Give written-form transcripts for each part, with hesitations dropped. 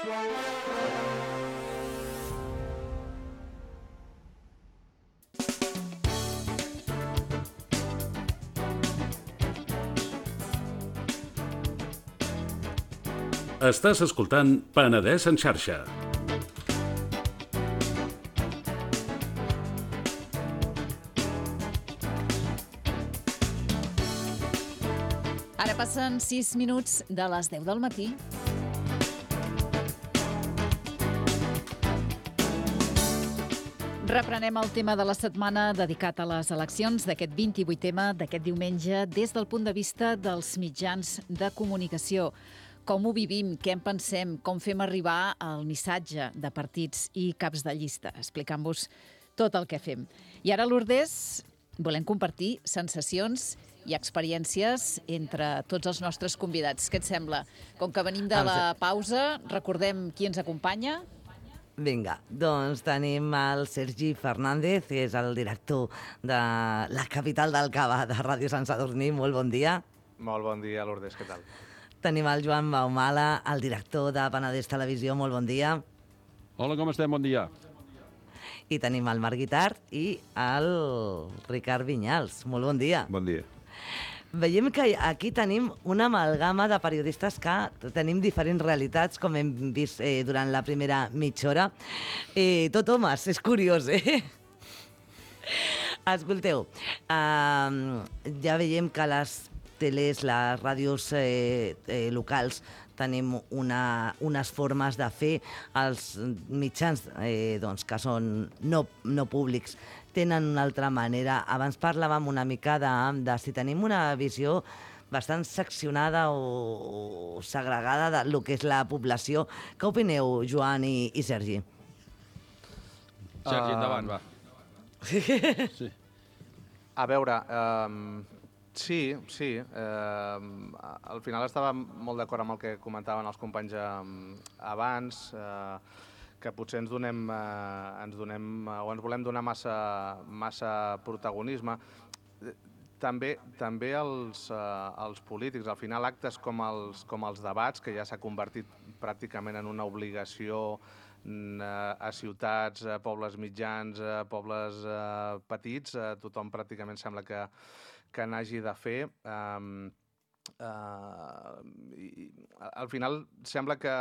Estàs escoltant Penedès en xarxa. Ara passen 6 minuts de les 10 del matí. Reprenem el tema de la setmana dedicat a les eleccions d'aquest 28è, d'aquest diumenge, des del punt de vista dels mitjans de comunicació. Com ho vivim, què en pensem, com fem arribar el missatge de partits i caps de llista, explicant-vos tot el que fem. I ara, Lourdes, volem compartir sensacions i experiències entre tots els nostres convidats. Què et sembla? Com que venim de la pausa, recordem qui ens acompanya. Vinga, doncs tenim el Sergi Fernández, que és el director de la capital del Cava, de Ràdio Sant Sadurní. Molt bon dia. Molt bon dia, Lourdes, què tal? Tenim el Joan Baumala, el director de Penedès Televisió. Molt bon dia. Hola, com estem? Bon dia. I tenim el Marc Guitart i el Ricard Vinyals. Molt bon dia. Bon dia. Veiem que aquí tenim una amalgama de periodistes que tenim diferents realitats, com hem vist durant la primera mitja hora. Tot homes, és curiós, Escolteu, ja veiem que les teles, les ràdios locals, tenim unes formes de fer. Els mitjans que són no públics tenen una altra manera. Abans parlàvem una mica de si tenim una visió bastant seccionada o segregada del que és la població. Què opineu, Joan i Sergi? Sergi, endavant, va. Sí. A veure, sí. Al final estava molt d'acord amb el que comentaven els companys abans, que potser ens volem donar massa protagonisme. També els polítics. Al final, actes com els debats, que ja s'ha convertit pràcticament en una obligació a ciutats, a pobles mitjans, a pobles petits, tothom pràcticament sembla que n'hagi de fer. Al final sembla que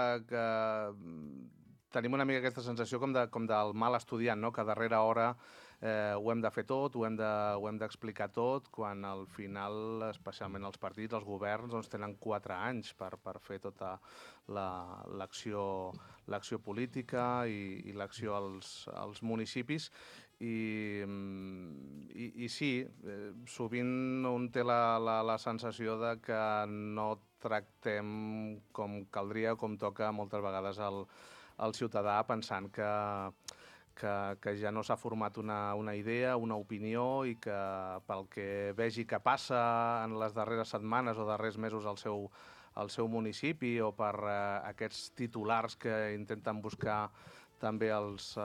tenim una mica aquesta sensació com del mal estudiant, no? Que a darrera hora ho hem de fer tot, ho hem d'explicar tot, quan al final, especialment els partits, els governs, doncs tenen 4 anys per fer tota l'acció política i l'acció als municipis. I sí, sovint un té la sensació de que no tractem com caldria o com toca moltes vegades el ciutadà, pensant que ja no s'ha format una idea, una opinió, i que pel que vegi que passa en les darreres setmanes o darrers mesos al seu municipi, o per aquests titulars que intenten buscar també els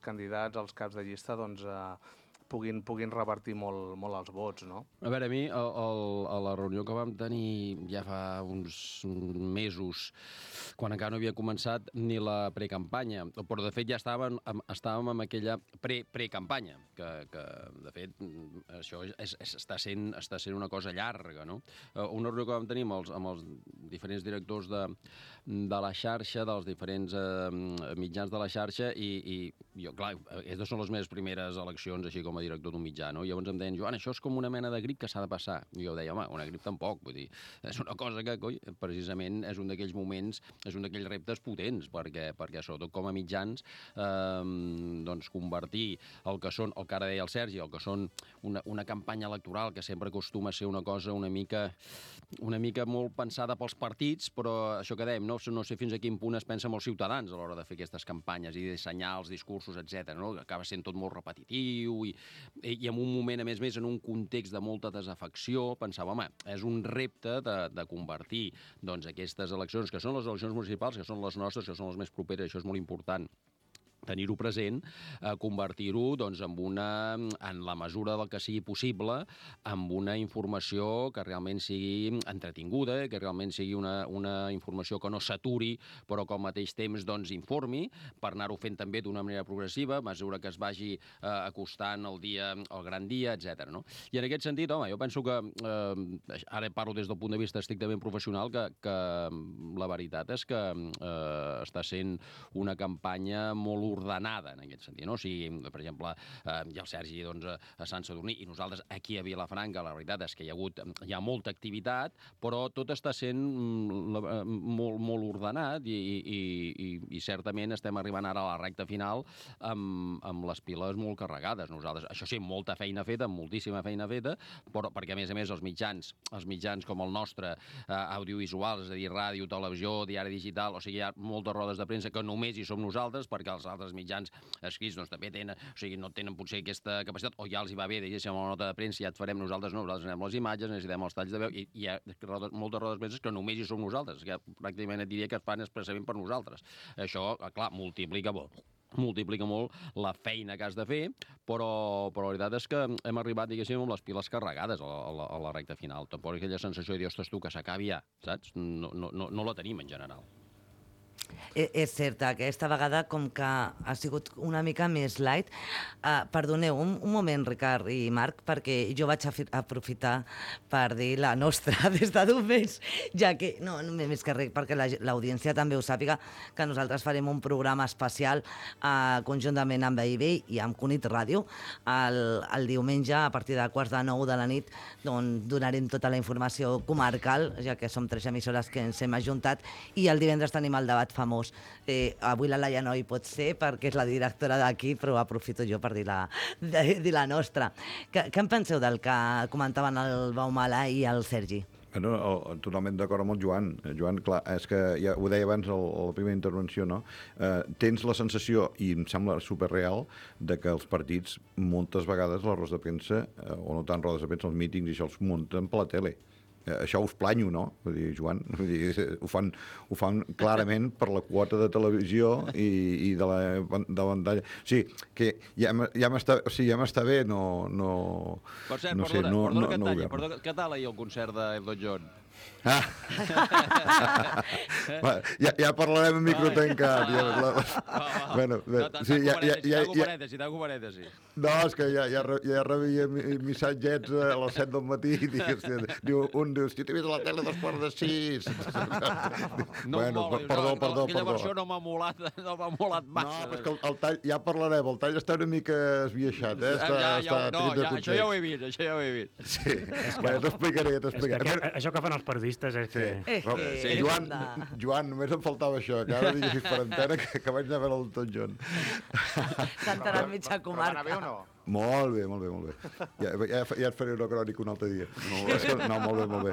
candidats, els caps de llista, doncs puguin revertir molt els vots, no? A veure, a mi, a la reunió que vam tenir ja fa uns mesos, quan encara no havia començat ni la precampanya, però de fet ja estàvem en aquella precampanya, que de fet això està sent una cosa llarga, no? Una reunió que vam tenir amb els diferents directors de la xarxa, dels diferents mitjans de la xarxa, i jo, clar, aquestes són les meves primeres eleccions així com a director d'un mitjà, no? I llavors em deien, Joan, això és com una mena de grip que s'ha de passar. I jo deia, home, una grip tampoc, vull dir, és una cosa que, precisament és un d'aquells moments, és un d'aquells reptes potents, perquè sobretot com a mitjans, doncs convertir el que ara deia el Sergi, el que són una campanya electoral, que sempre acostuma a ser una cosa una mica molt pensada pels partits, però això que dèiem, no sé fins a quin punt es pensa amb els ciutadans a l'hora de fer aquestes campanyes i dissenyar els discursos, etc. No? Acaba sent tot molt repetitiu i en un moment, a més, en un context de molta desafecció, pensava, home, és un repte de convertir doncs, aquestes eleccions, que són les eleccions municipals, que són les nostres, que són les més properes, això és molt important, tenir-ho present, convertir-ho doncs, en la mesura del que sigui possible, amb una informació que realment sigui entretinguda, que realment sigui una informació que no s'aturi, però que al mateix temps doncs, informi, per anar-ho fent també d'una manera progressiva, a mesura que es vagi acostant el gran dia, etc. No? I en aquest sentit, home, jo penso que, ara parlo des del punt de vista estrictament professional, que la veritat és que està sent una campanya molt ordenada en aquest sentit. No? O sigui, per exemple, hi ha el Sergi doncs, a Sant Sadurní i nosaltres aquí a Vilafranca, la veritat és que hi ha molta activitat, però tot està sent molt ordenat i certament estem arribant ara a la recta final amb les piles molt carregades. Nosaltres, això sí, molta feina feta, moltíssima feina feta, però perquè a més els mitjans com el nostre, audiovisuals, és a dir, ràdio, televisió, diari digital, o sigui, hi ha moltes rodes de premsa que només hi som nosaltres, perquè els altres mitjans escrits doncs, també tenen, o sigui, no tenen potser aquesta capacitat, o ja els hi va bé, diguéssim, una nota de premsa, ja et farem nosaltres, no, nosaltres anem les imatges, necessitem els talls de veu, i hi ha moltes rodes de premsa que només hi som nosaltres, que pràcticament et diria que es fan expressament per nosaltres. Això, clar, multiplica molt la feina que has de fer, però la veritat és que hem arribat, diguéssim, amb les piles carregades a la recta final. Tampoc aquella sensació de dir, ostres, tu, que s'acabi ja, saps? No la tenim en general. És cert, aquesta vegada com que ha sigut una mica més light. Perdoneu, un moment, Ricard i Marc, perquè jo vaig aprofitar per dir la nostra des de diumenge, ja que, no, més que res, perquè l'audiència també ho sàpiga, que nosaltres farem un programa especial conjuntament amb AIB i amb Cunit Ràdio. El diumenge, a partir de 8:45 de la nit, doncs, donarem tota la informació comarcal, ja que som 3 emissores que ens hem ajuntat, i el divendres tenim el debat famós. Avui la Laia no hi pot ser perquè és la directora d'aquí, però aprofito jo per dir la nostra. Què en penseu del que comentaven el Baumala i el Sergi? No, totalment d'acord amb el Joan. Joan, clar, és que ja ho deia abans a la primera intervenció, no? Tens la sensació, i em sembla superreal, de que els partits, moltes vegades, les rodes de premsa, o no tant rodes de premsa, els mítings i això els munten per la tele. Això us planyo, no? Vull dir, Joan, ho fan clarament per la quota de televisió i de la pantalla. O sigui, que ja m'està bé, no... Per cert, perdona, què tal ahir el concert d'Elton John? Ja parlarem en micro tancat. Tanco parèntesi. No, és que ja rebia missatgets a les 7 del matí i un diu, hòstia, t'he vist a la tele 5:45. Perdó. Aquella versió no m'ha molat massa. No, és que el tall, ja parlarem, el tall està una mica esbiaixat, això ja ho he vist. Sí, t'explicaré. Això que fan els periodistes és que... Joan, només em faltava això, que ara diguessis per antena que vaig anar a veure l'Elton John. S'entrarà mitja comarca. Molt bé. Ja et faré una crònica un altre dia. No, molt bé.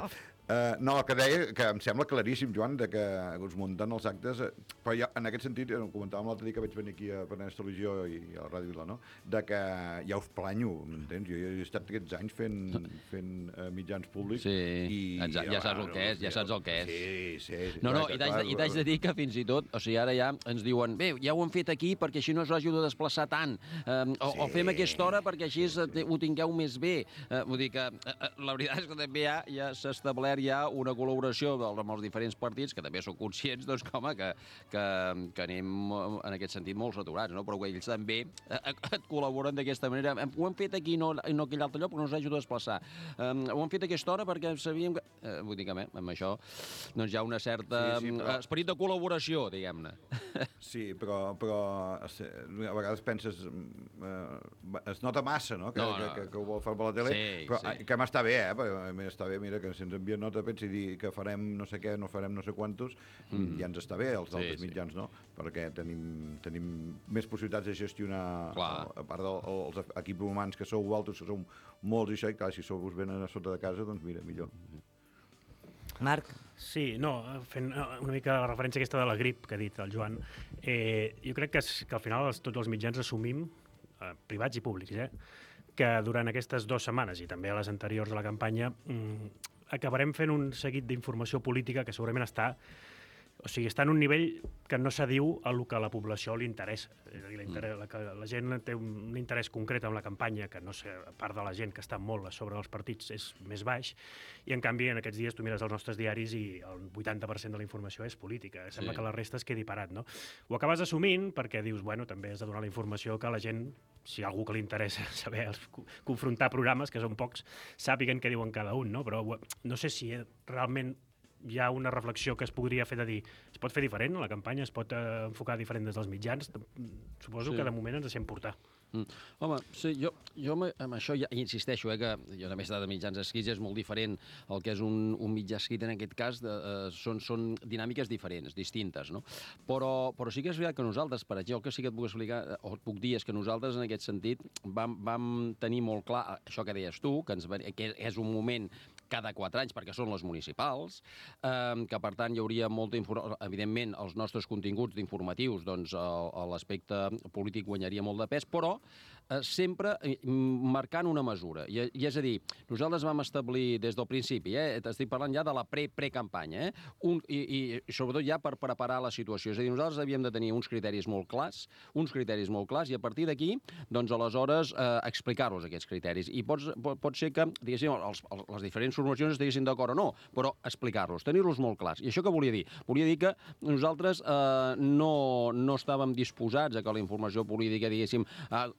No, que deia que em sembla claríssim, Joan, que us munten els actes, però ja, en aquest sentit, ho comentàvem l'altre dia que vaig venir aquí a Penedès Televisió i a la Ràdio Vila, no? De que ja us planyo, m'entens? Jo he estat aquests anys fent mitjans públics. Sí, ja saps el que és, ja saps el que és. Sí. No, i t'haig de dir que fins i tot, o sigui, ara ja ens diuen, bé, ja ho hem fet aquí perquè així no us hagi de desplaçar tant, o fem aquesta hora perquè així ho tingueu més bé. Vull dir que la veritat és que també ja s'ha establert ja una col·laboració amb els diferents partits, que també són conscients doncs, que anem en aquest sentit molt saturats, no? Però ells també et col·laboren d'aquesta manera. Ho hem fet aquí, no aquell altre lloc, però no us hagi de desplaçar. Ho hem fet a aquesta hora perquè sabíem que... Vull dir que amb això doncs hi ha una certa esperit de col·laboració, diguem-ne. Sí, però a vegades penses... es nota massa, no? Que ho vol fer per la tele, però que m'està bé, m'està bé, mira, que si ens envien nota pensi dir que farem no sé què, no farem no sé quantos, ja ens està bé, els altres mitjans, no? Perquè tenim més possibilitats de gestionar, a part dels equips humans que sou vosaltres, que sou molts i això, i clar, si sou vos venen a sota de casa, doncs mira, millor. Marc? Sí, fent una mica la referència aquesta de la grip que ha dit el Joan, jo crec que al final tots els mitjans assumim, privats i públics, que durant aquestes 2 setmanes i també a les anteriors de la campanya acabarem fent un seguit d'informació política que segurament està O sigui, està en un nivell que no s'adiu a lo que a la població li interessa. És a dir, la gent té un interès concret en la campanya, que no sé, a part de la gent que està molt a sobre dels partits és més baix, i en canvi en aquests dies tu mires els nostres diaris i el 80% de la informació és política. Sembla que la resta es quedi parat, no? Ho acabes assumint perquè dius, bueno, també has de donar la informació que la gent, si hi ha algú que li interessa saber confrontar programes, que són pocs, sàpiguen què diuen cada un, no? Però no sé si realment hi ha una reflexió que es podria fer de dir es pot fer diferent, la campanya es pot enfocar diferent des dels mitjans. Suposo que de moment ens deixem portar. Home, sí, jo amb això ja insisteixo, que jo també he estat de mitjans escrits, és molt diferent el que és un mitjà escrit en aquest cas, són dinàmiques diferents, distintes, no? Però sí que és veritat que nosaltres, per exemple, el que sí que et puc explicar, o et puc dir, és que nosaltres en aquest sentit vam tenir molt clar això que deies tu, que és un moment cada 4 anys, perquè són les municipals, que per tant hi hauria molta informació. Evidentment, els nostres continguts d'informatius, doncs l'aspecte polític guanyaria molt de pes, però sempre marcant una mesura. I és a dir, nosaltres vam establir des del principi, estic parlant ja de la pre-campanya, i sobretot ja per preparar la situació. És a dir, nosaltres havíem de tenir uns criteris molt clars, i a partir d'aquí, doncs aleshores, explicar-los aquests criteris. I pot ser que, diguéssim, les diferents formacions estiguessin d'acord o no, però explicar-los, tenir-los molt clars. I això què volia dir? Volia dir que nosaltres no estàvem disposats a que la informació política, diguéssim, el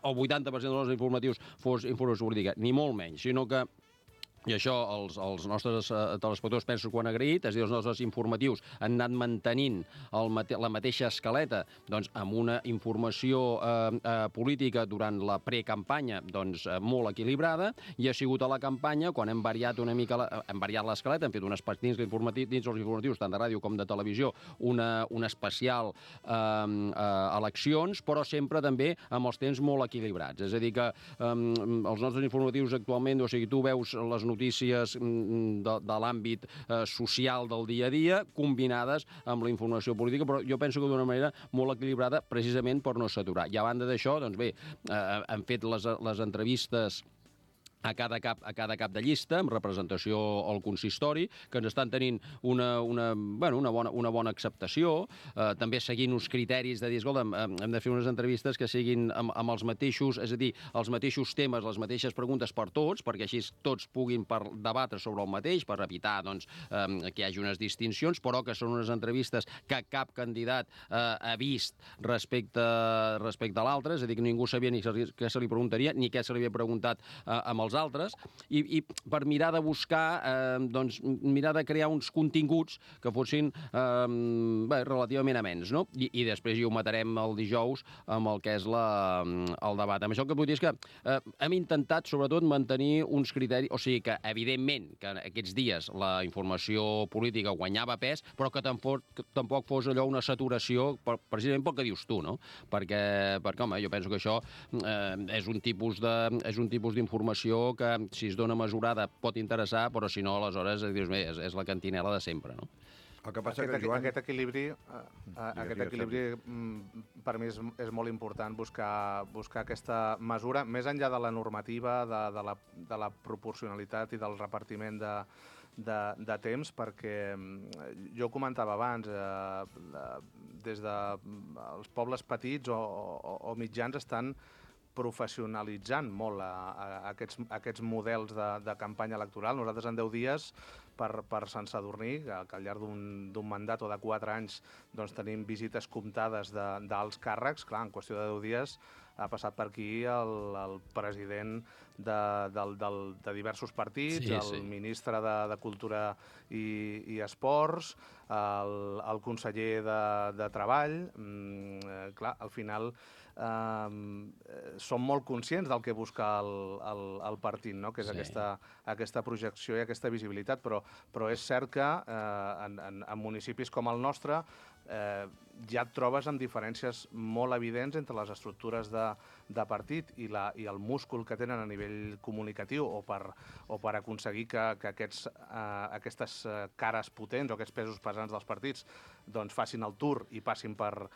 80% dels informatius fos informació política, ni molt menys, sinó que i això els nostres telespectadors penso que ho han agraït, és a dir, els nostres informatius han anat mantenint la mateixa escaleta, doncs amb una informació política durant la precampanya doncs molt equilibrada, i ha sigut a la campanya quan hem variat una mica l'escaleta, hem fet dins els informatius, tant de ràdio com de televisió, un especial eleccions, però sempre també amb els temps molt equilibrats. És a dir, que els nostres informatius actualment, o sigui, tu veus les notícies de l'àmbit social del dia a dia, combinades amb la informació política, però jo penso que d'una manera molt equilibrada, precisament per no saturar. I a banda d'això, doncs bé, hem fet les entrevistes a cada cap de llista, amb representació al consistori, que ens estan tenint una bona acceptació, també seguint uns criteris de dir, escolta'm, hem de fer unes entrevistes que siguin amb els mateixos, és a dir, els mateixos temes, les mateixes preguntes per tots, perquè així tots puguin debatre sobre el mateix, per evitar doncs, que hi hagi unes distincions, però que són unes entrevistes que cap candidat ha vist respecte a l'altre, és a dir, que ningú sabia ni què se li preguntaria, ni què se li havia preguntat amb els altres, i per mirar de buscar, mirar de crear uns continguts que fossin relativament amens, no? I després hi ho matarem el dijous amb el que és el debat. Amb això el que vull dir és que hem intentat, sobretot, mantenir uns criteris, o sigui que, evidentment, que aquests dies la informació política guanyava pes, però que tampoc fos allò una saturació, precisament pel que dius tu, no? Perquè home, jo penso que això és un tipus d'informació que, si es dona mesurada, pot interessar, però si no, aleshores, dius, bé, és la cantinela de sempre, no? El que passa que, Joan... Aquest equilibri per mi és molt important buscar aquesta mesura, més enllà de la normativa, de la proporcionalitat i del repartiment de temps, perquè jo comentava abans, des dels pobles petits o mitjans estan professionalitzant molt aquests models de campanya electoral. Nosaltres en 10 dies per Sant Sadurní, que al llarg d'un mandat o de 4 anys doncs, tenim visites comptades d'alts càrrecs, clar, en qüestió de 10 dies ha passat per aquí el president de diversos partits, el ministre de Cultura i Esports, el conseller de Treball. Clar, al final som molt conscients del que busca el partit, no? Que és aquesta projecció i aquesta visibilitat, però és cert que en municipis com el nostre ja et trobes amb diferències molt evidents entre les estructures de partit i el múscul que tenen a nivell comunicatiu o per aconseguir que aquestes cares potents o aquests pesos pesants dels partits doncs facin el tour i passin per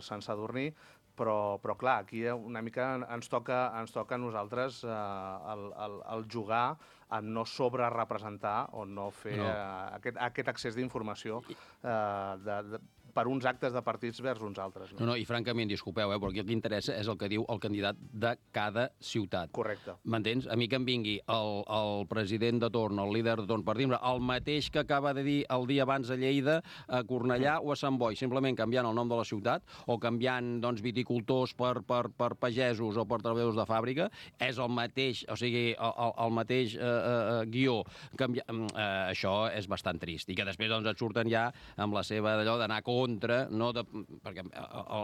Sant Sadurní, però clar, aquí una mica ens toca a nosaltres el jugar a no sobrerepresentar o no fer aquest accés d'informació per uns actes de partits vers uns altres. No, i francament, disculpeu, però aquí el que interessa és el que diu el candidat de cada ciutat. Correcte. M'entens? A mi que em vingui el president de torn, el líder de torn, per dir el mateix que acaba de dir el dia abans a Lleida, a Cornellà o a Sant Boi, simplement canviant el nom de la ciutat o canviant viticultors per pagesos o per treballadors de fàbrica, és el mateix, o sigui, el mateix guió. Això és bastant trist. I que després et surten ja amb la seva d'allò d'anar contra, perquè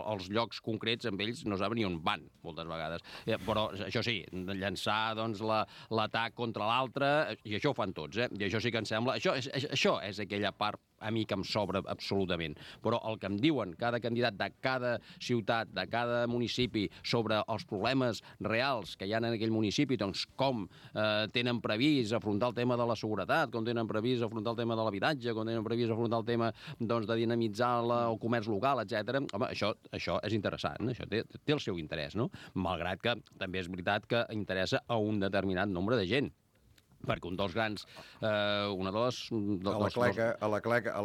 els llocs concrets amb ells no saben ni on van, moltes vegades. Però això sí, llançar l'atac contra l'altre, i això ho fan tots, i això sí que em sembla... Això és aquella part a mi que em sobra absolutament. Però el que em diuen cada candidat de cada ciutat, de cada municipi, sobre els problemes reals que hi ha en aquell municipi, doncs com tenen previst afrontar el tema de la seguretat, com tenen previst afrontar el tema de l'habitatge, com tenen previst afrontar el tema de dinamitzar el comerç local, etc. Home, això és interessant, això té el seu interès, no? Malgrat que també és veritat que interessa a un determinat nombre de gent. Perquè un dels grans... Una de les... A la cleca...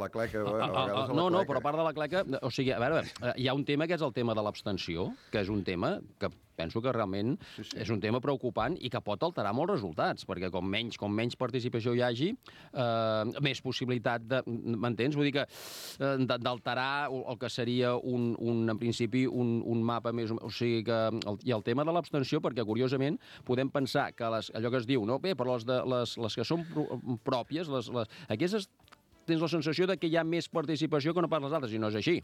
No, però a part de la cleca... O sigui, a veure, hi ha un tema que és el tema de l'abstenció, que és un tema que penso que realment és un tema preocupant i que pot alterar molts resultats, perquè com menys participació hi hagi, més possibilitat de... M'entens? Vull dir que d'alterar el que seria en principi un mapa més... O sigui que... I el tema de l'abstenció, perquè curiosament podem pensar que allò que es diu, no? Bé, però les que són pròpies, aquestes tens la sensació de que hi ha més participació que no pas les altres, i no és així.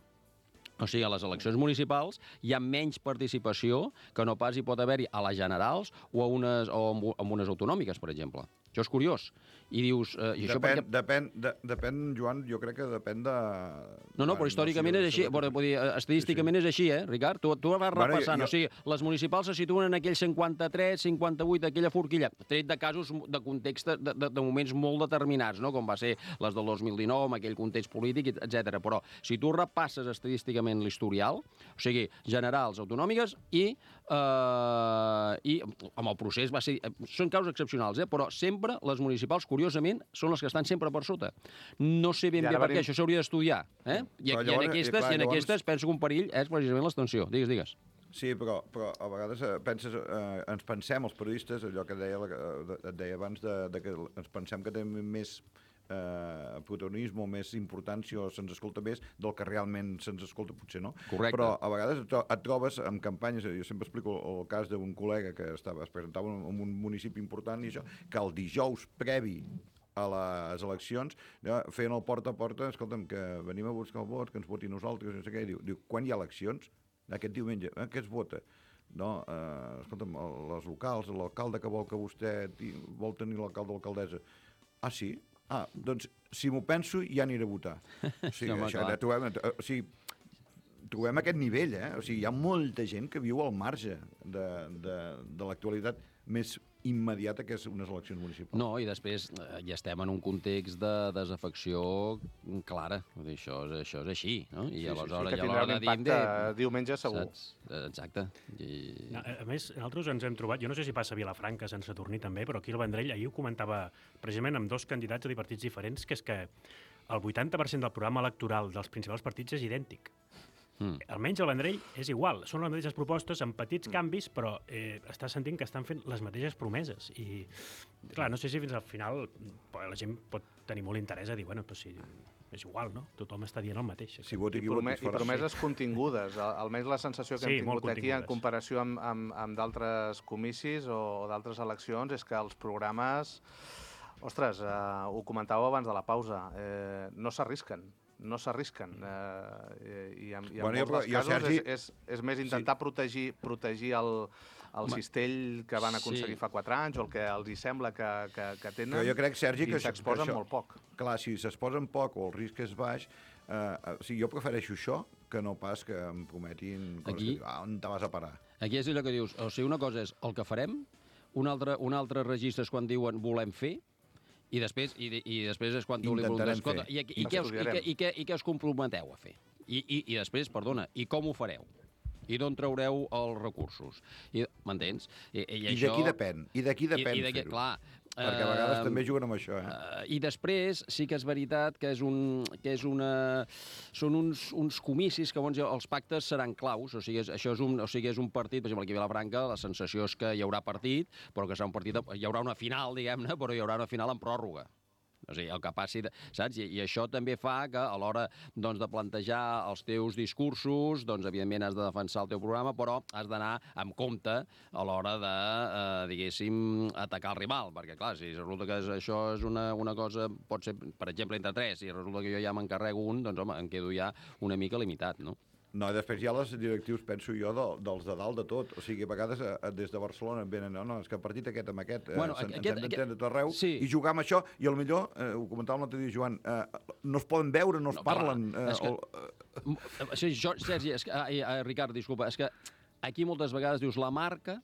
O sigui, a les eleccions municipals hi ha menys participació que no pas hi pot haver-hi a les generals o en unes autonòmiques, per exemple. Això és curiós. I dius... Depèn, Joan, jo crec que depèn de... No, però històricament és així. Estadísticament és així, Ricard? Tu vas repassant. O sigui, les municipals se situen en aquell 53, 58, aquella forquilla, tret de casos de context de moments molt determinats, no? Com va ser les del 2019, amb aquell context polític, etc. Però si tu repasses estadísticament l'historial, o sigui, generals, autonòmiques i amb el procés va ser... Són casos excepcionals, però sempre les municipals, curiosament, són les que estan sempre per sota. No sé ben bé per què, això s'hauria d'estudiar. I en aquestes penso que un perill és precisament l'abstenció. Digues. Sí, però a vegades ens pensem, els periodistes, allò que et deia abans, que ens pensem que tenim més protagonisme, més importància o se'ns escolta més del que realment se'ns escolta, potser no. Correcte. Però a vegades et trobes en campanyes, jo sempre explico el cas d'un col·lega que es presentava en un municipi important i això, que el dijous previ a les eleccions feien el porta a porta, escolta'm, que venim a buscar el vot, que ens voti nosaltres, no sé què, diu, quan hi ha eleccions? Aquest diumenge, què es vota? No, escolta'm, les locals, l'alcalde que vol que vostè vol tenir l'alcalde o l'alcaldessa. Ah, sí? Ah, doncs, si m'ho penso, ja aniré a votar. O sigui, trobem aquest nivell, O sigui, hi ha molta gent que viu al marge de l'actualitat més immediata que és unes eleccions municipals. No, i després ja estem en un context de desafecció clara. Això és així, no? I aleshores que tindrà un impacte diumenge segur. Exacte. A més, nosaltres ens hem trobat, jo no sé si passa a Vilafranca, Sant Sadurní també, però aquí al Vendrell, ahir ho comentava precisament amb dos candidats de partits diferents, que és que el 80% del programa electoral dels principals partits és idèntic. Almenys al Vendrell és igual, són les mateixes propostes amb petits canvis, però estàs sentint que estan fent les mateixes promeses. I, clar, no sé si fins al final la gent pot tenir molt interès a dir, bueno, però si és igual, no? Tothom està dient el mateix. I promeses contingudes, almenys la sensació que hem tingut aquí en comparació amb d'altres comicis o d'altres eleccions és que els programes, ostres, ho comentàveu abans de la pausa, no s'arrisquen. I en molts dels casos és més intentar protegir el cistell que van aconseguir fa 4 anys o el que els hi sembla que tenen. Però jo crec, Sergi, que s'exposen molt poc. Clar, si s'exposen poc o el risc és baix, jo prefereixo això que no pas que em prometin on te vas a parar. Aquí és allò que dius, o sigui, una cosa és el que farem, un altre registre és quan diuen volem fer, i després és quan tu li preguntes, escolta, i què us comprometeu a fer? I després, perdona, i com ho fareu? I d'on traureu els recursos? M'entens? I d'aquí depèn. I d'aquí depèn fer-ho. Clar, perquè a vegades també juguen amb això, I després sí que és veritat que són uns comicis que els pactes seran claus, o sigui, és un partit, per exemple, aquí a Vilafranca la sensació és que hi haurà partit, però que serà un partit, hi haurà una final, diguem-ne, però hi haurà una final en pròrroga. O sigui, el que passi, saps? I això també fa que a l'hora de plantejar els teus discursos, doncs, evidentment, has de defensar el teu programa, però has d'anar amb compte a l'hora de, diguéssim, atacar el rival, perquè, clar, si resulta que això és una cosa, pot ser, per exemple, entre 3, i resulta que jo ja m'encarrego un, doncs, home, em quedo ja una mica limitat, no? No, i després hi ha les directius, penso jo, dels de dalt de tot. O sigui, a vegades des de Barcelona venen, no, és que el partit aquest amb aquest ens hem d'entendre tot arreu, i jugar amb això, i potser, ho comentava l'altre dia, Joan, no es poden veure, no es parlen. Sergi, Ricard, disculpa, és que aquí moltes vegades dius la marca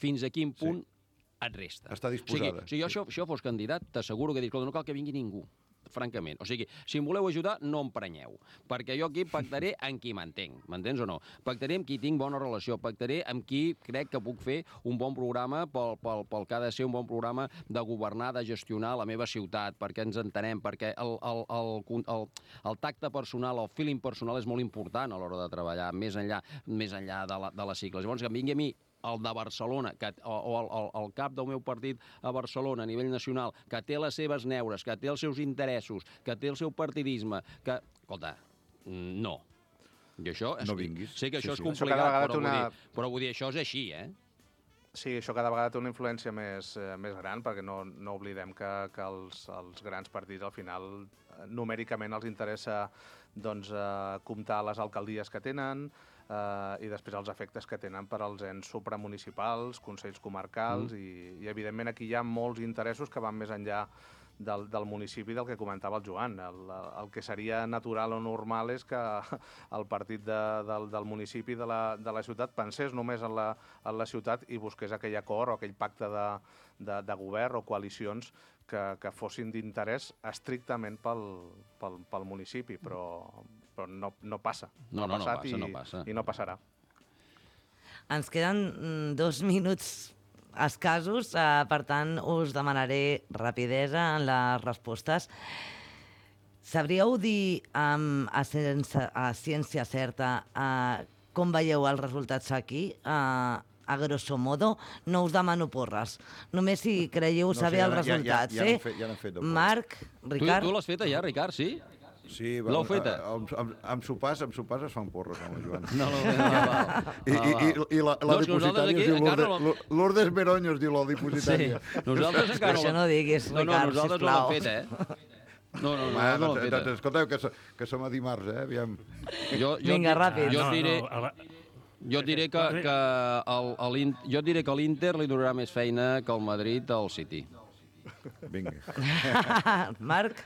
fins a quin punt et resta. Està disposada. O sigui, jo això fos candidat, t'asseguro que dic, no cal que vingui ningú, francament. O sigui, si em voleu ajudar, no em prenyeu, perquè jo aquí pactaré amb qui m'entenc, m'entens o no? Pactaré amb qui tinc bona relació, pactaré amb qui crec que puc fer un bon programa pel que ha de ser un bon programa de governar, de gestionar la meva ciutat, perquè ens entenem, perquè el tacte personal, el feeling personal és molt important a l'hora de treballar, més enllà de les sigles. Llavors, que em vingui a mi el de Barcelona, o el cap del meu partit a Barcelona, a nivell nacional, que té les seves neures, que té els seus interessos, que té el seu partidisme, que... Escolta, no. I això... No vinguis. Sé que això és complicat, però vull dir, això és així, Sí, això cada vegada té una influència més gran, perquè no oblidem que els grans partits, al final, numèricament els interessa comptar les alcaldies que tenen, i després els efectes que tenen per als ens supramunicipals, consells comarcals, i evidentment aquí hi ha molts interessos que van més enllà del municipi, del que comentava el Joan. El que seria natural o normal és que el partit del municipi de la ciutat pensés només en la ciutat i busqués aquell acord o aquell pacte de govern o coalicions que fossin d'interès estrictament pel municipi, però no passa. No passa. I no passarà. Ens queden 2 minuts escassos, per tant, us demanaré rapidesa en les respostes. Sabríeu dir a ciència certa com veieu els resultats aquí? A grosso modo, no us demano porres. Només si creieu saber els resultats. Ja n'hem fet. Marc, Ricard... Tu l'has feta ja, Ricard, sí? Sí, l'heu feta? Amb sopars es fan porres, amb el Joan. No. I la dipositària es diu Lourdes Meronyo, es diu la dipositària. Nosaltres encara Això no diguis, Ricard, sisplau. Nosaltres no l'hem fet, No l'hem fet. Escolteu, que som a dimarts, aviam. Vinga, ràpid. Jo diré que l'Inter li donarà més feina que el Madrid al City. Vinga. Marc?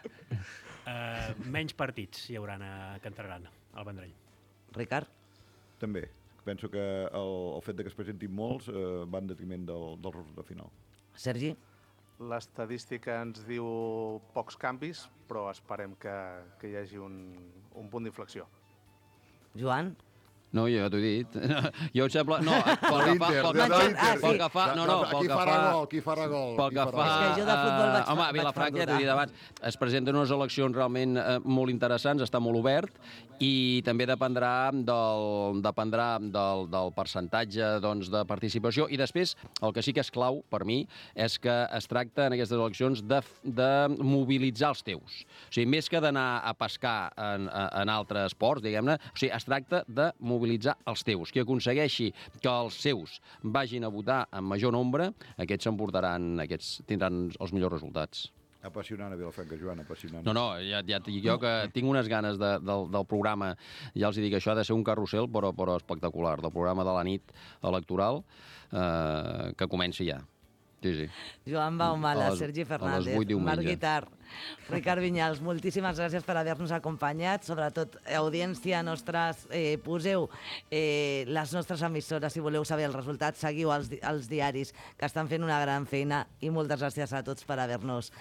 Menys partits hi haurà que entregaran al Vendrell. Ricard? També. Penso que el fet que es presentin molts va en detriment del resultat final. Sergi? L'estadística ens diu pocs canvis, però esperem que hi hagi un punt d'inflexió. Joan? No, jo ja t'ho he dit. Jo em sembla... No, pel que fa... Qui farà gol? Pel que fa... És que jo de futbol vaig... Home, a Vilafranca, t'ho he dit abans, es presenten unes eleccions realment molt interessants, està molt obert, i també dependrà del percentatge de participació. I després, el que sí que és clau, per mi, és que es tracta en aquestes eleccions de mobilitzar els teus. O sigui, més que d'anar a pescar en altres esports, diguem-ne, o sigui, es tracta de mobilitzar els teus. Qui aconsegueixi que els seus vagin a votar en major nombre, aquests tindran els millors resultats. Apassionant a Vilafranca, Joan, apassionant. No, ja et dic jo que tinc unes ganes del programa, ja els dic, això ha de ser un carrusel, però espectacular, del programa de la nit electoral, que comenci ja. Sí. Joan Baumala, Sergi Fernández, Marc Guitart, Ricard Vinyals, moltíssimes gràcies per haver-nos acompanyat. Sobretot, audiència nostres, poseu les nostres emissores si voleu saber el resultat, seguiu els diaris que estan fent una gran feina i moltes gràcies a tots per haver-nos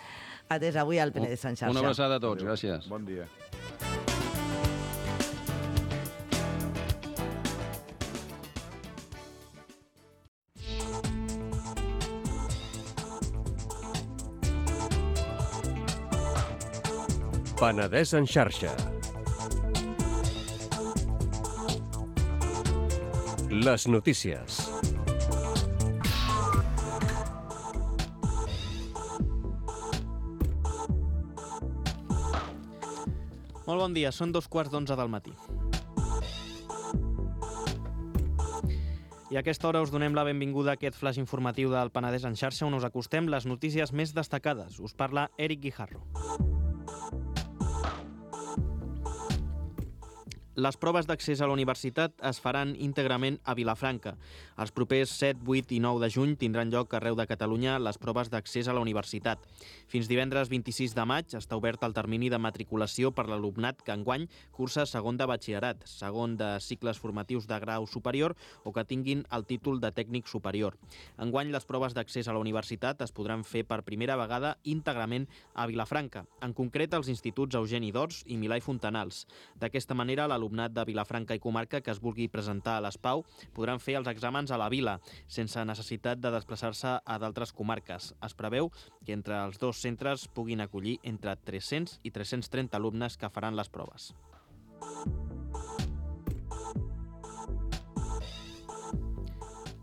atès avui al Penedès en xarxa. Una abraçada a tots, gràcies. Bon dia. Penedès en xarxa. Les notícies. Molt bon dia, són 2:15 del matí. I a aquesta hora us donem la benvinguda a aquest flash informatiu del Penedès en xarxa, on us acostem les notícies més destacades. Us parla Eric Guijarro. Les proves d'accés a la universitat es faran íntegrament a Vilafranca. Els propers 7, 8 i 9 de juny tindran lloc arreu de Catalunya les proves d'accés a la universitat. Fins divendres 26 de maig està obert el termini de matriculació per l'alumnat que enguany cursa segon de batxillerat, segon de cicles formatius de grau superior o que tinguin el títol de tècnic superior. Enguany les proves d'accés a la universitat es podran fer per primera vegada íntegrament a Vilafranca, en concret als instituts Eugeni d'Ors i Milà i Fontanals. D'aquesta manera, l'alumnat de Vilafranca i comarca que es vulgui presentar a l'ESPAU podran fer els exàmens a la vila, sense necessitat de desplaçar-se a d'altres comarques. Es preveu que entre els dos centres puguin acollir entre 300 i 330 alumnes que faran les proves.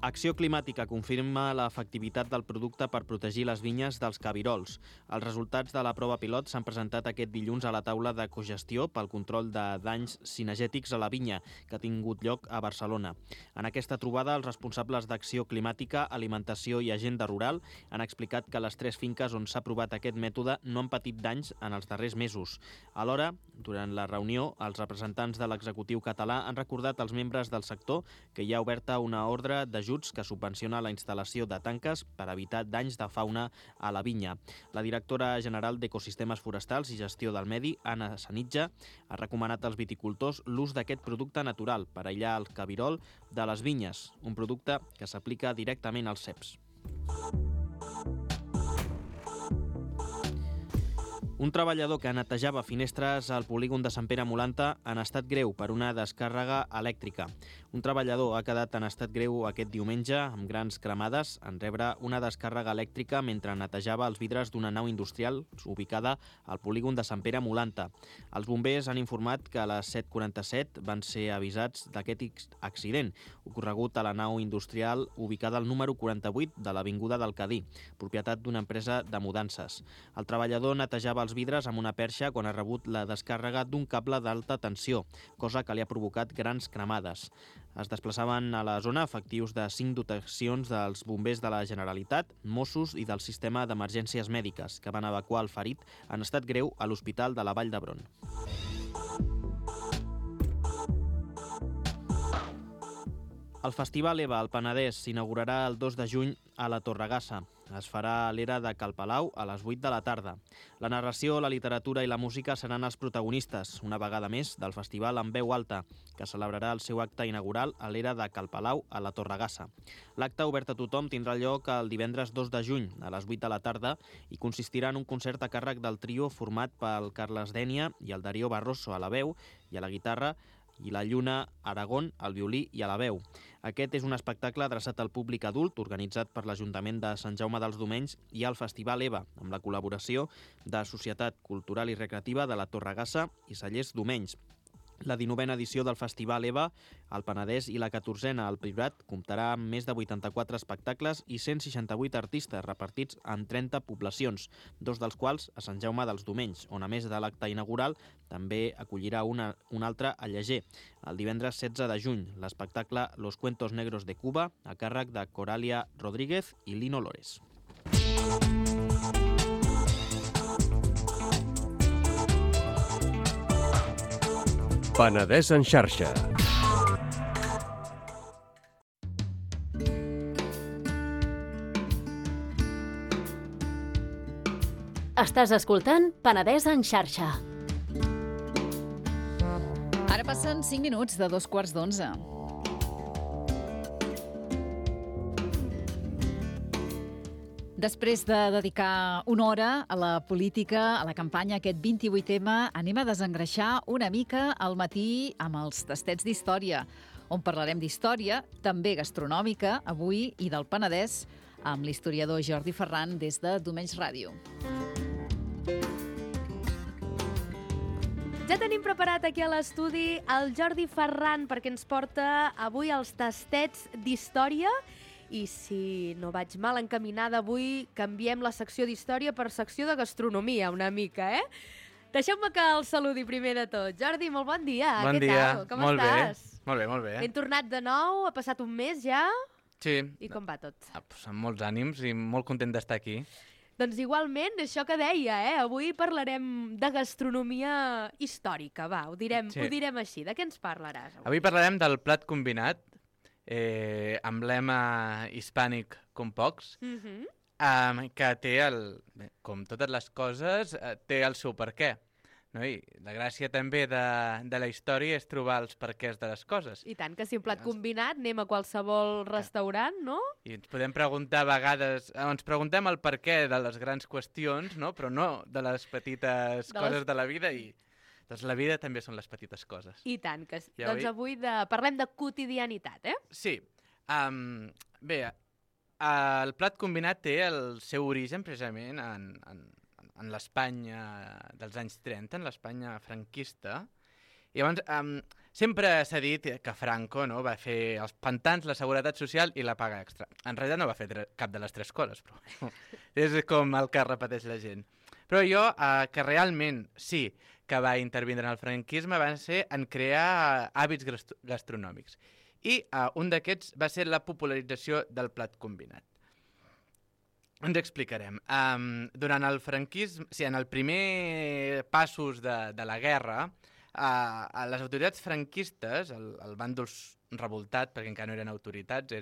Acció Climàtica confirma l'efectivitat del producte per protegir les vinyes dels cabirols. Els resultats de la prova pilot s'han presentat aquest dilluns a la taula de cogestió pel control de danys cinegètics a la vinya, que ha tingut lloc a Barcelona. En aquesta trobada, els responsables d'Acció Climàtica, Alimentació i Agenda Rural han explicat que les 3 finques on s'ha provat aquest mètode no han patit danys en els darrers mesos. Alhora, durant la reunió, els representants de l'executiu català han recordat als membres del sector que hi ha oberta una ordre d'ajuts que subvenciona la instal·lació de tanques per evitar danys de fauna a la vinya. La directora general d'Ecosistemes Forestals i Gestió del Medi, Anna Sanitja, ha recomanat als viticultors l'ús d'aquest producte natural per aïllar el cabirol de les vinyes, un producte que s'aplica directament als ceps. Un treballador que netejava finestres al polígon de Sant Pere Molanta en estat greu per una descàrrega elèctrica. Un treballador ha quedat en estat greu aquest diumenge amb grans cremades en rebre una descàrrega elèctrica mentre netejava els vidres d'una nau industrial ubicada al polígon de Sant Pere Molanta. Els bombers han informat que a les 7:47 van ser avisats d'aquest accident, ocorregut a la nau industrial ubicada al número 48 de l'Avinguda del Cadí, propietat d'una empresa de mudances. El treballador netejava els vidres amb una perxa quan ha rebut la descàrrega d'un cable d'alta tensió, cosa que li ha provocat grans cremades. Es desplaçaven a la zona efectius de 5 dotacions dels bombers de la Generalitat, Mossos i del sistema d'emergències mèdiques, que van evacuar el ferit en estat greu a l'Hospital de la Vall d'Hebron. El Festival EVA al Penedès s'inaugurarà el 2 de juny a la Torregassa. Es farà a l'era de Cal Palau a les 8 de la tarda. La narració, la literatura i la música seran els protagonistes, una vegada més, del festival en veu alta, que celebrarà el seu acte inaugural a l'era de Cal Palau a la Torregassa. L'acte, obert a tothom, tindrà lloc el divendres 2 de juny a les 8 de la tarda i consistirà en un concert a càrrec del trio format pel Carles Dénia i el Darío Barroso a la veu i a la guitarra, i la Lluna Aragón al violí i a la veu. Aquest és un espectacle adreçat al públic adult, organitzat per l'Ajuntament de Sant Jaume dels Domenys i el Festival EVA, amb la col·laboració de Societat Cultural i Recreativa de la Torregassa i Cellers Domenys. La 19a edició del Festival EVA, al Penedès, i la 14a al Priorat comptarà amb més de 84 espectacles i 168 artistes repartits en 30 poblacions, 2 dels quals a Sant Jaume dels Domenys, on a més de l'acte inaugural també acollirà un altre a Lleger. El divendres 16 de juny, l'espectacle Los Cuentos Negros de Cuba, a càrrec de Coralia Rodríguez i Lino Lores. Penedès en xarxa. Estàs escoltant Penedès en xarxa. Ara passen 5 minuts de 2:15. Després de dedicar una hora a la política, a la campanya, aquest 28M, anem a desengreixar una mica al matí amb els tastets d'història, on parlarem d'història, també gastronòmica, avui, i del Penedès, amb l'historiador Jordi Ferran des de Domenys Ràdio. Ja tenim preparat aquí a l'estudi el Jordi Ferran perquè ens porta avui els tastets d'història i si no vaig mal encaminada avui canviem la secció d'història per secció de gastronomia una mica, Deixeu-me que el saludi primer de tot. Jordi, molt bon dia. Bon dia. Què tal? Com estàs? Molt bé, molt bé. Ben tornat de nou, ha passat un mes ja. Sí. I com va tot? Amb molts ànims i molt content d'estar aquí. Doncs igualment, això que deia, avui parlarem de gastronomia històrica, va, ho direm així. De què ens parlaràs? Avui parlarem del plat combinat, emblema hispànic com pocs, que té, com totes les coses, té el seu perquè. No? I la gràcia també de la història és trobar els perquès de les coses. I tant, que si un plat combinat anem a qualsevol restaurant, no? I ens podem preguntar a vegades, ens preguntem el perquè de les grans qüestions, no? Però no de les petites coses de la vida i doncs la vida també són les petites coses. I tant, que doncs avui parlem de quotidianitat, Sí. Bé, el plat combinat té el seu origen precisament en l'Espanya dels anys 30, en l'Espanya franquista. I llavors sempre s'ha dit que Franco va fer els pantans, la seguretat social i la paga extra. En realitat no va fer cap de les tres coses, però és com el que repeteix la gent. Però jo, que realment sí que va intervindre en el franquisme, va ser en crear hàbits gastronòmics. I un d'aquests va ser la popularització del plat combinat. Ens explicarem. Durant el franquisme, en el primer passos de la guerra, les autoritats franquistes, el bàndol revoltat, perquè encara no eren autoritats,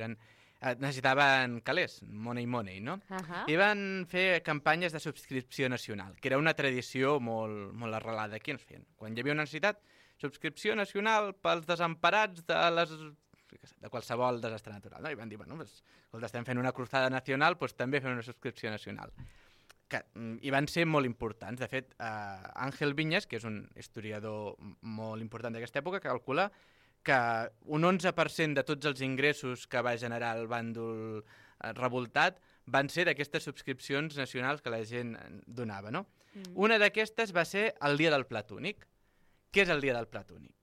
necessitaven calés, money, no? I van fer campanyes de subscripció nacional, que era una tradició molt arrelada aquí. Quan hi havia una necessitat, subscripció nacional pels desemparats de qualsevol desastre natural. No? I van dir, estem fent una cruzada nacional, doncs també fem una subscripció nacional. I van ser molt importants. De fet, Àngel Viñas, que és un historiador molt important d'aquesta època, calcula que un 11% de tots els ingressos que va generar el bàndol revoltat van ser d'aquestes subscripcions nacionals que la gent donava. No? Una d'aquestes va ser el Dia del Plat Únic. Què és el Dia del Plat Únic?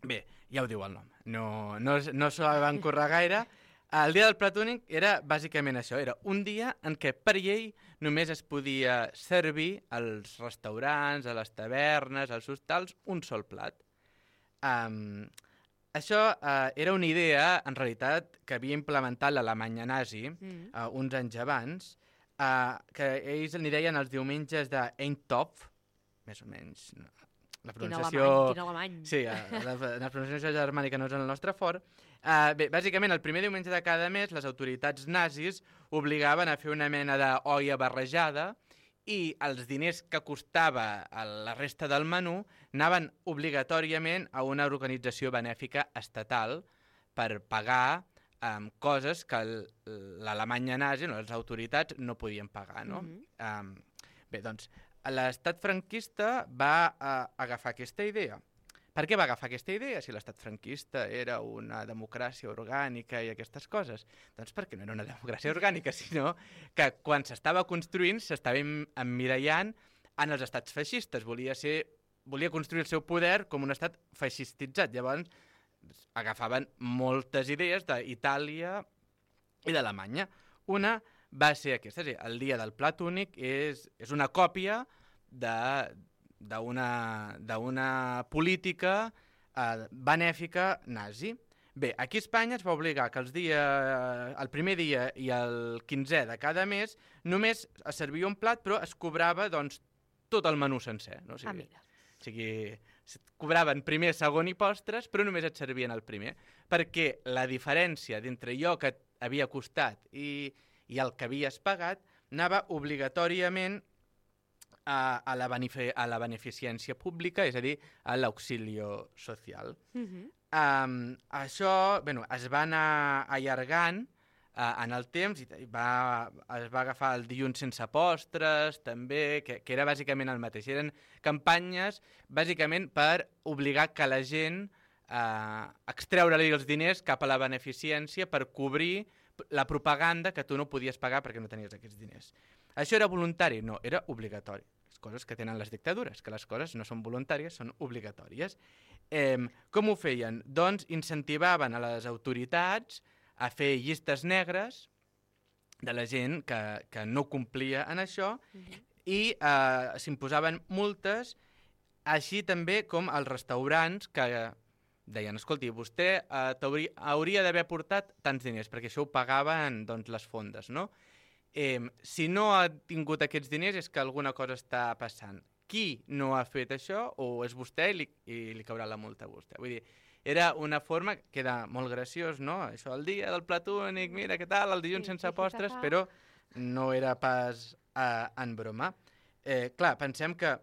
Bé, ja ho diu el nom, no s'ho van currar gaire. El Dia del Plat Únic era bàsicament això, era un dia en què per llei només es podia servir als restaurants, a les tavernes, als hostals, un sol plat. Això era una idea, en realitat, que havia implementat l'Alemanya nazi uns anys abans, que ells n'hi deien els diumenges d'Eintopf, més o menys. La pronunciació... Quin alemany. Sí, la pronunciació germànica no és el nostre fort. Bé, bàsicament, el primer diumenge de cada mes, les autoritats nazis obligaven a fer una mena d'olla barrejada i els diners que costava la resta del menú anaven obligatòriament a una organització benèfica estatal per pagar coses que l'Alemanya nazi, les autoritats, no podien pagar. No? Bé, doncs, l'estat franquista va agafar aquesta idea. Per què va agafar aquesta idea si l'estat franquista era una democràcia orgànica i aquestes coses? Doncs perquè no era una democràcia orgànica, sinó que quan s'estava construint s'estava emmirallant en els estats feixistes. Volia construir el seu poder com un estat feixistitzat. Llavors agafaven moltes idees d'Itàlia i d'Alemanya. Una va ser aquesta, el Dia del Plat Únic és una còpia d'una política benèfica nazi. Bé, aquí a Espanya es va obligar que el primer dia i el 15è de cada mes només es servia un plat, però es cobrava tot el menú sencer. No? O sigui, cobraven primer, segon i postres, però només et servien el primer, perquè la diferència d'entre allò que havia costat i el que havies pagat anava obligatòriament a la beneficència pública, és a dir, a l'auxilio social. Això es va anar allargant en el temps i es va agafar el dilluns sense postres, també, que era bàsicament el mateix. Eren campanyes bàsicament per obligar que la gent extreure-li els diners cap a la beneficència per cobrir la propaganda que tu no podies pagar perquè no tenies aquests diners. Això era voluntari? No, era obligatori. coses que tenen les dictadures, que les coses no són voluntàries, són obligatòries. Com ho feien? Doncs incentivaven a les autoritats a fer llistes negres de la gent que no complia en això i s'imposaven multes, així també com als restaurants que deien, escolti, vostè hauria d'haver portat tants diners, perquè això ho pagaven doncs, les fondes, no? Si no ha tingut aquests diners és que alguna cosa està passant. Qui no ha fet això o és vostè i li caurà la multa a vostè. Vull dir, era una forma que era molt graciós, no? Això, el dia del plat únic, mira què tal, el dilluns sense postres, però no era pas en broma. Clar, pensem que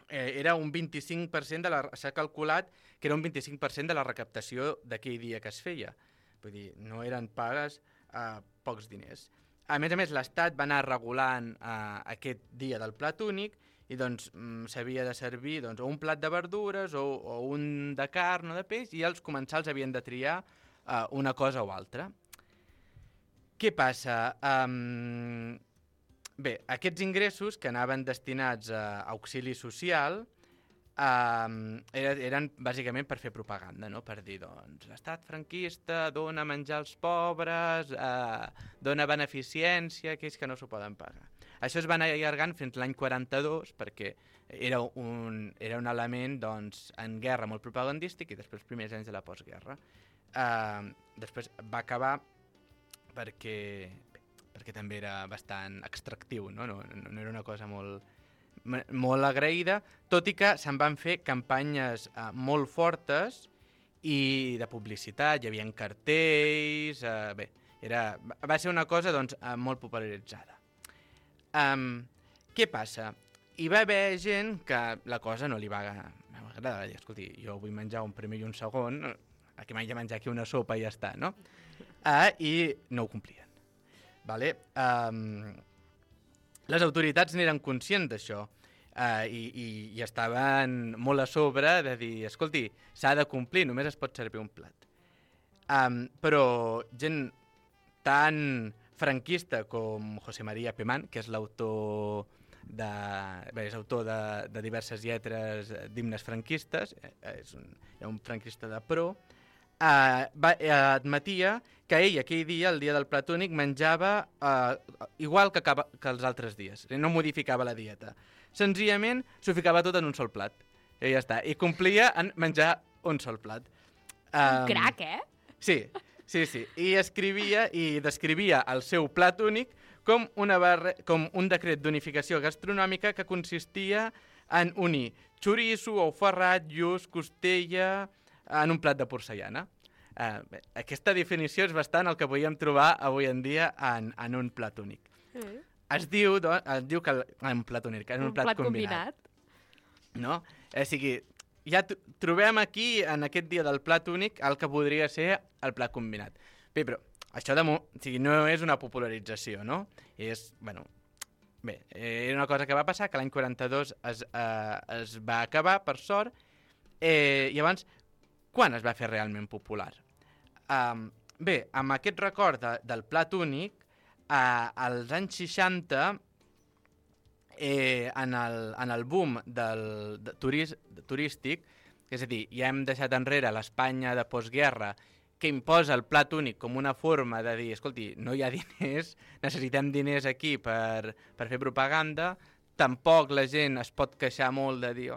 era un 25% s'ha calculat que era un 25% de la recaptació d'aquell dia que es feia. Vull dir, no eren pas pocs diners. A més, l'Estat va anar regulant aquest dia del plat únic i doncs s'havia de servir o un plat de verdures o un de carn o de peix i els comensals havien de triar una cosa o altra. Què passa? Bé, aquests ingressos que anaven destinats a auxili social eren bàsicament per fer propaganda, no? Per dir, doncs, l'estat franquista dona menjar als pobres, dona beneficència a aquells que no s'ho poden pagar. Això es va anar allargant fins l'any 42 perquè era un element doncs, en guerra molt propagandístic i després els primers anys de la postguerra. Després va acabar perquè també era bastant extractiu, no era una cosa molt agraïda, tot i que se'n van fer campanyes molt fortes i de publicitat, hi havia cartells, va ser una cosa doncs, molt popularitzada. Què passa? Hi va haver gent que la cosa no li va agradar, dir, escolti, jo vull menjar un primer i un segon, aquí m'haig de menjar aquí una sopa i ja està, no? I no ho complien. Vale? Les autoritats n'eren conscients d'això i estaven molt a sobre de dir, escolti, s'ha de complir, només es pot servir un plat. Però gent tan franquista com José María Pemán, que és l'autor de diverses lletres d'himnes franquistes, és un franquista de pro, admetia que ell aquell dia, el dia del plat únic, menjava igual que els altres dies, no modificava la dieta. Senzillament s'ho ficava tot en un sol plat, i ja està, i complia en menjar un sol plat. Un crac, Sí. I escrivia i descrivia el seu plat únic com un decret d'unificació gastronòmica que consistia en unir xoriço, ou ferrat, lluç, costella en un plat de porcellana. Aquesta definició és bastant el que podíem trobar avui en dia en un plat únic. Es diu que en un plat únic, en un plat combinat. No? O sigui, ja trobem aquí, en aquest dia del plat únic, el que podria ser el plat combinat. Bé, però això no és una popularització, no? Era una cosa que va passar, que l'any 42 es va acabar, per sort. Llavors, quan es va fer realment popular? Bé, amb aquest record del plat únic, als anys 60, en el boom turístic, és a dir, ja hem deixat enrere l'Espanya de postguerra que imposa el plat únic com una forma de dir, escolti, no hi ha diners, necessitem diners aquí per fer propaganda, tampoc la gent es pot queixar molt de dir,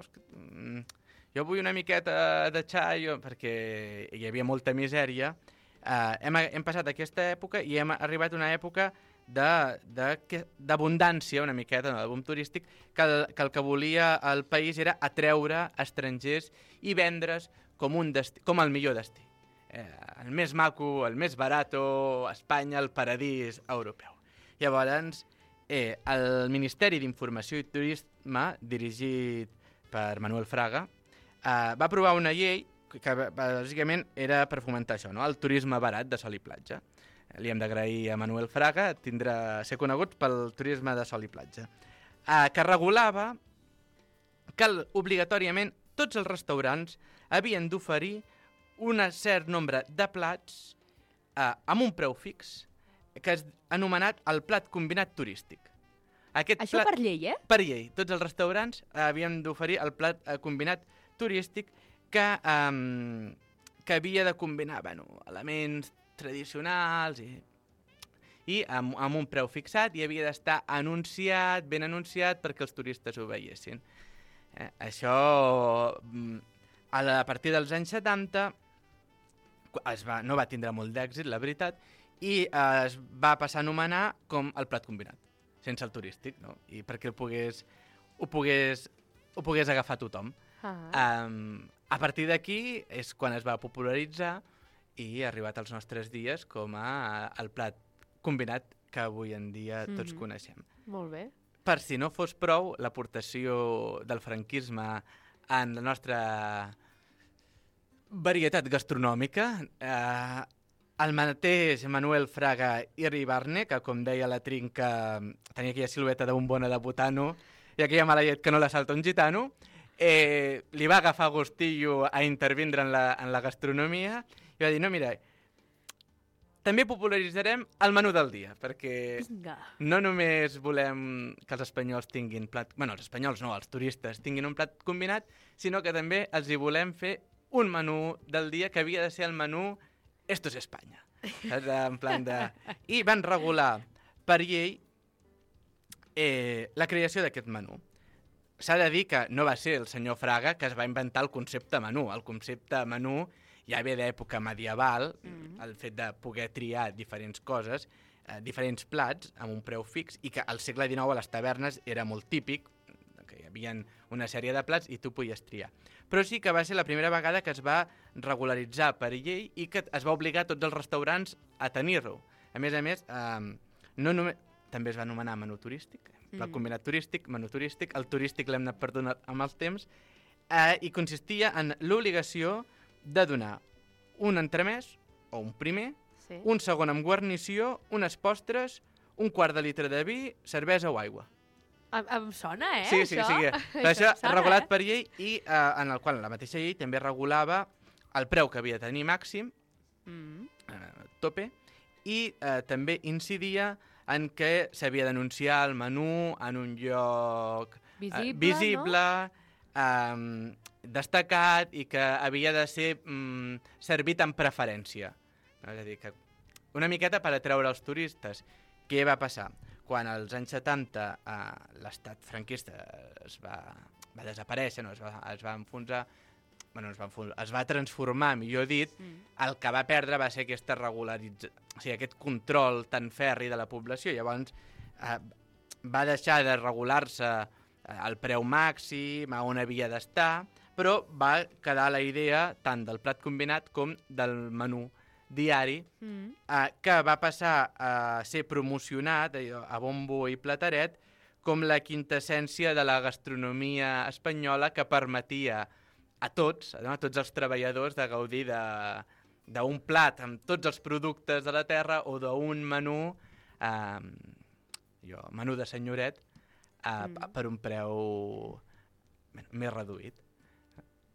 jo vull una miqueta de xai, perquè hi havia molta misèria. Hem passat aquesta època i hem arribat a una època d'abundància, una miqueta, de boom turístic, que el que volia el país era atreure estrangers i vendre's com el millor destí. El més maco, el més barato, Espanya, el paradís europeu. Llavors, el Ministeri d'Informació i Turisme, dirigit per Manuel Fraga, va aprovar una llei que bàsicament era per fomentar això, no? El turisme barat de sol i platja. Li hem d'agrair a Manuel Fraga ser conegut pel turisme de sol i platja, que regulava que obligatòriament tots els restaurants havien d'oferir un cert nombre de plats amb un preu fix que és anomenat el plat combinat turístic. Això per llei, eh? Per llei. Tots els restaurants havien d'oferir el plat combinat turístic que havia de combinar elements tradicionals i amb un preu fixat i havia d'estar anunciat, ben anunciat, perquè els turistes ho veiessin. Això, a partir dels anys 70, no va tindre molt d'èxit, la veritat, i es va passar a anomenar com el plat combinat, sense el turístic, no? I perquè ho pogués agafar tothom. A partir d'aquí és quan es va popularitzar i ha arribat als nostres dies com el plat combinat que avui en dia tots coneixem. Molt bé. Per si no fos prou, l'aportació del franquisme en la nostra varietat gastronòmica, el mateix Manuel Fraga Iribarne, que com deia la Trinca tenia aquella silueta de bombona de botano i aquella mala llet que no la salta un gitano, li va agafar gustillo a intervindre en la gastronomia i va dir, no, mira, també popularitzarem el menú del dia, perquè no només volem que els espanyols tinguin plat... Bueno, els espanyols no, els turistes tinguin un plat combinat, sinó que també els hi volem fer un menú del dia que havia de ser el menú Esto es España. En plan de... I van regular per llei la creació d'aquest menú. S'ha de dir que no va ser el senyor Fraga que es va inventar el concepte menú. El concepte menú ja ve d'època medieval, el fet de poder triar diferents coses, diferents plats amb un preu fix, i que al segle XIX a les tavernes era molt típic, que hi havia una sèrie de plats i tu podies triar. Però sí que va ser la primera vegada que es va regularitzar per llei i que es va obligar tots els restaurants a tenir-ho. A més, també es va anomenar menú turístic, plat combinat turístic, menú turístic, el turístic l'hem anat perdonant amb els temps, i consistia en l'obligació de donar un entremès, o un primer, un segon amb guarnició, unes postres, un quart de litre de vi, cervesa o aigua. Em sona, Sí, això? Sí. Això regulat per llei i en el qual la mateixa llei també regulava el preu que havia de tenir màxim, tope, i també incidia en què s'havia d'anunciar el menú en un lloc visible, destacat i que havia de ser servit amb preferència. És a dir, que una miqueta per atreure els turistes. Què va passar? Quan als anys 70 l'estat franquista es va desaparèixer, es va enfonsar, es va transformar, millor dit, el que va perdre va ser aquesta regularització, o sigui, aquest control tan ferri de la població. Llavors va deixar de regular-se el preu màxim, on havia d'estar, però va quedar la idea tant del plat combinat com del menú diari, que va passar a ser promocionat a bombo i plateret com la quintessència de la gastronomia espanyola que permetia a tots els treballadors de gaudir d'un plat amb tots els productes de la terra o d'un menú, menú de senyoret, per un preu més reduït.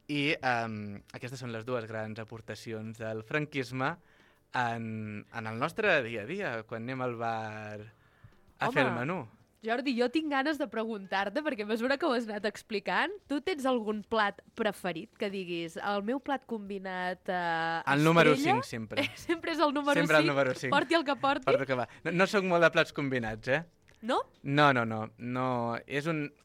I aquestes són les dues grans aportacions del franquisme en el nostre dia a dia, quan anem al bar a fer el menú. Jordi, jo tinc ganes de preguntar-te, perquè a mesura que ho has anat explicant, tu tens algun plat preferit que diguis, el meu plat combinat el número 5, sempre. Sempre és el número 5? Sempre el número 5. Porti el que porti? Porti el que va. No soc molt de plats combinats, No? No.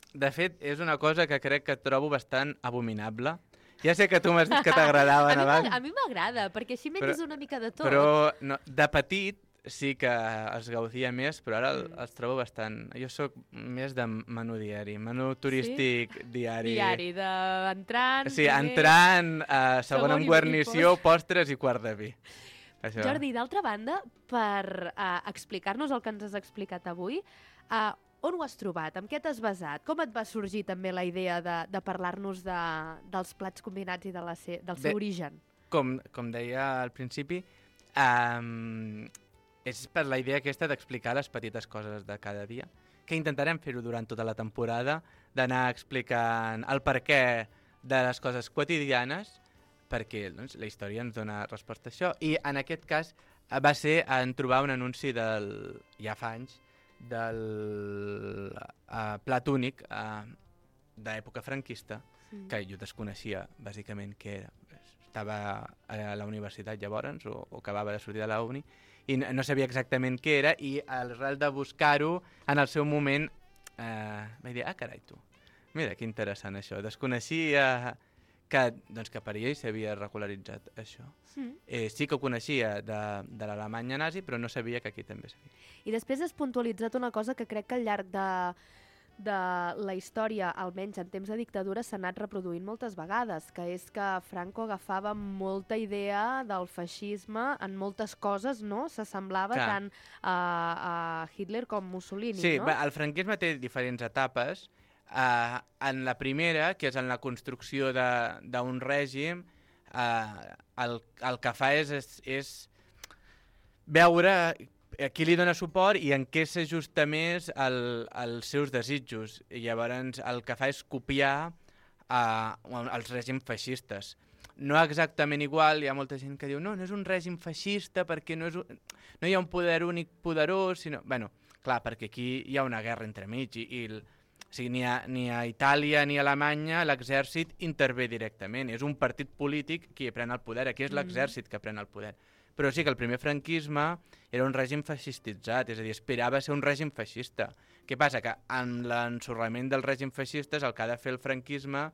De fet, és una cosa que crec que trobo bastant abominable. Ja sé que tu m'has dit que t'agradaven abans. A mi m'agrada, perquè així menges una mica de tot. Però de petit sí que es gaudia més, però ara els trobo bastant... Jo sóc més de menú diari, menú turístic diari. Diari, d'entrant... Sí, entrant, segon amb guarnició, postres i quart de vi. Això. Jordi, d'altra banda, per explicar-nos el que ens has explicat avui, on ho has trobat? En què t'has basat? Com et va sorgir també la idea de parlar-nos dels plats combinats i del seu origen? Com deia al principi, és per la idea aquesta d'explicar les petites coses de cada dia, que intentarem fer-ho durant tota la temporada, d'anar explicant el perquè de les coses quotidianes, perquè la història ens dona resposta a això. I en aquest cas va ser en trobar un anunci ja fa anys, del plat únic d'època franquista, que jo desconeixia bàsicament què era. Estava a la universitat llavors, o acabava de sortir de la uni, i no sabia exactament què era, i arrel de buscar-ho, en el seu moment vaig dir, carai, tu, mira, que interessant això. Desconeixia que per ell s'havia regularitzat això. Sí que ho coneixia de l'Alemanya nazi, però no sabia que aquí també s'havia. I després has puntualitzat una cosa que crec que al llarg de la història, almenys en temps de dictadura, s'ha anat reproduint moltes vegades, que és que Franco agafava molta idea del feixisme en moltes coses, no? S'assemblava tant a Hitler com Mussolini, no? Sí, el franquisme té diferents etapes. En la primera, que és en la construcció d'un règim, el que fa és veure a qui li dona suport i en què s'ajusta més als seus desitjos. I llavors el que fa és copiar els règims feixistes. No exactament igual, hi ha molta gent que diu no és un règim feixista perquè no hi ha un poder únic poderós, sinó... Bueno, clar, perquè aquí hi ha una guerra entremig i o sigui, ni a Itàlia ni a Alemanya l'exèrcit intervé directament. És un partit polític qui pren el poder. Aquí és l'exèrcit que pren el poder. Però sí que el primer franquisme era un règim feixistitzat, és a dir, aspirava a ser un règim feixista. Què passa? Que amb l'ensorrament dels règims feixistes el que ha de fer el franquisme,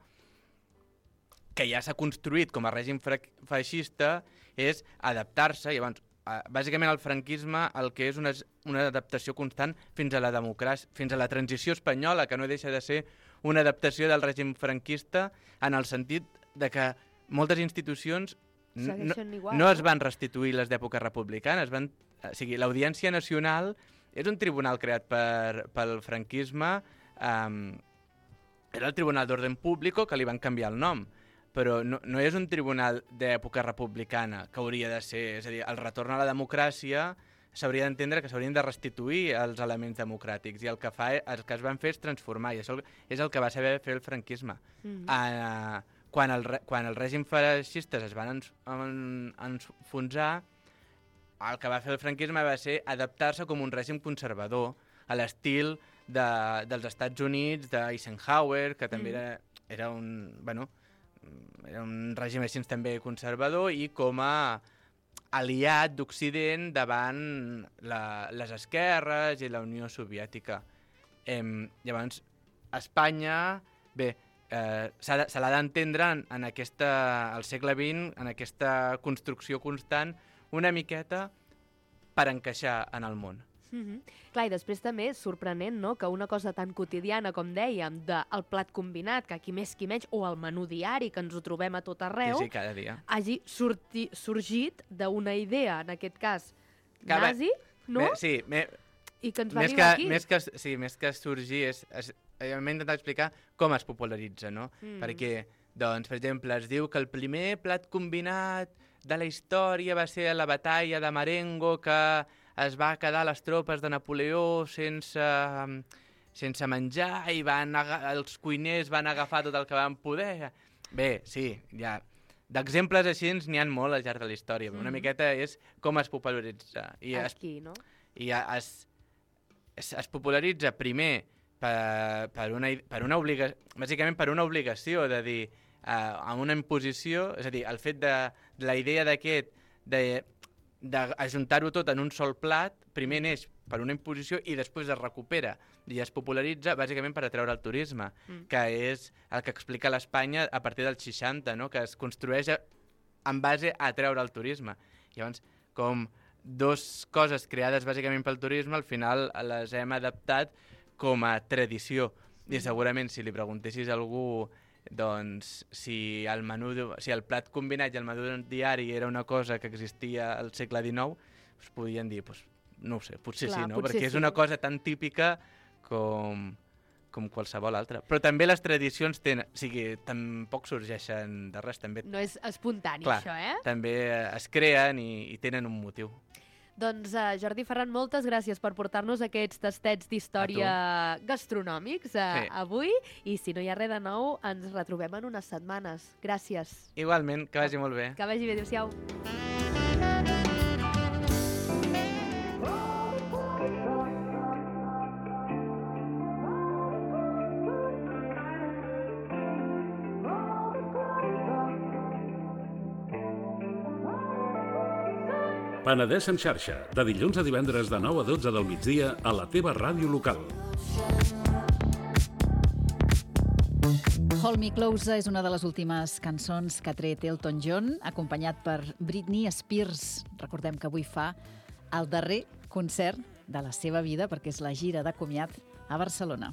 que ja s'ha construït com a règim feixista, és adaptar-se. Llavors, bàsicament el franquisme el que és una adaptació constant fins a la democràcia, fins a la transició espanyola, que no deixa de ser una adaptació del règim franquista en el sentit de que moltes institucions no es van restituir les d'època republicana. O sigui, l'Audiència Nacional és un tribunal creat pel franquisme, era el Tribunal d'Orden Público, que li van canviar el nom, però no és un tribunal d'època republicana, que hauria de ser, és a dir, el retorn a la democràcia s'hauria d'entendre que s'haurien de restituir els elements democràtics, i el que es van fer és transformar, i això és el que va saber fer el franquisme. Quan els règims feixistes es van enfonsar, el que va fer el franquisme va ser adaptar-se com un règim conservador, a l'estil dels Estats Units, d'Eisenhower, que també era un règim així també conservador, i com a aliat d'Occident davant les esquerres i la Unió Soviètica. Llavors, Espanya, bé, se l'ha d'entendre al segle XX, en aquesta construcció constant, una miqueta per encaixar en el món. Clar, i després també és sorprenent, no?, que una cosa tan quotidiana, com dèiem, del plat combinat, que aquí més qui menys, o el menú diari, que ens ho trobem a tot arreu, sí, cada dia, hagi sorgit d'una idea, en aquest cas, nazi, no? Sí, i que ens va arribar aquí. Més que sorgir, m'he intentat explicar com es popularitza, no? Perquè, doncs, per exemple, es diu que el primer plat combinat de la història va ser la batalla de Marengo, que es va quedar les tropes de Napoleó sense menjar i els cuiners van agafar tot el que van poder. Bé, sí, ja. D'exemples així n'hi ha molt al llarg de la història. Una miqueta és com es popularitza. Aquí, no? I es popularitza primer per una obligació, bàsicament per una obligació de dir, amb una imposició, és a dir, el fet de la idea d'aquest, d'ajuntar-ho tot en un sol plat, primer neix per una imposició i després es recupera i es popularitza bàsicament per atreure el turisme, que és el que explica l'Espanya a partir dels 60, no? Que es construeix en base a atreure el turisme. Llavors, com dues coses creades bàsicament pel turisme, al final les hem adaptat com a tradició. I segurament si li preguntessis a algú doncs, si el plat combinat i el menú diari era una cosa que existia al segle XIX, us podien dir, no ho sé, potser sí, no? Perquè és una cosa tan típica com qualsevol altra. Però també les tradicions tampoc sorgeixen de res. No és espontani, això, eh? També es creen i tenen un motiu. Doncs, Jordi Ferran, moltes gràcies per portar-nos aquests tastets d'història gastronòmics avui, i si no hi ha res de nou, ens retrobem en unes setmanes. Gràcies. Igualment, que vagi molt bé. Que vagi bé, adéu-siau. Penedès en xarxa, de dilluns a divendres de 9 a 12 del migdia a la teva ràdio local. Hold Me Closer és una de les últimes cançons que ha tret Elton John, acompanyat per Britney Spears. Recordem que avui fa el darrer concert de la seva vida, perquè és la gira de comiat a Barcelona.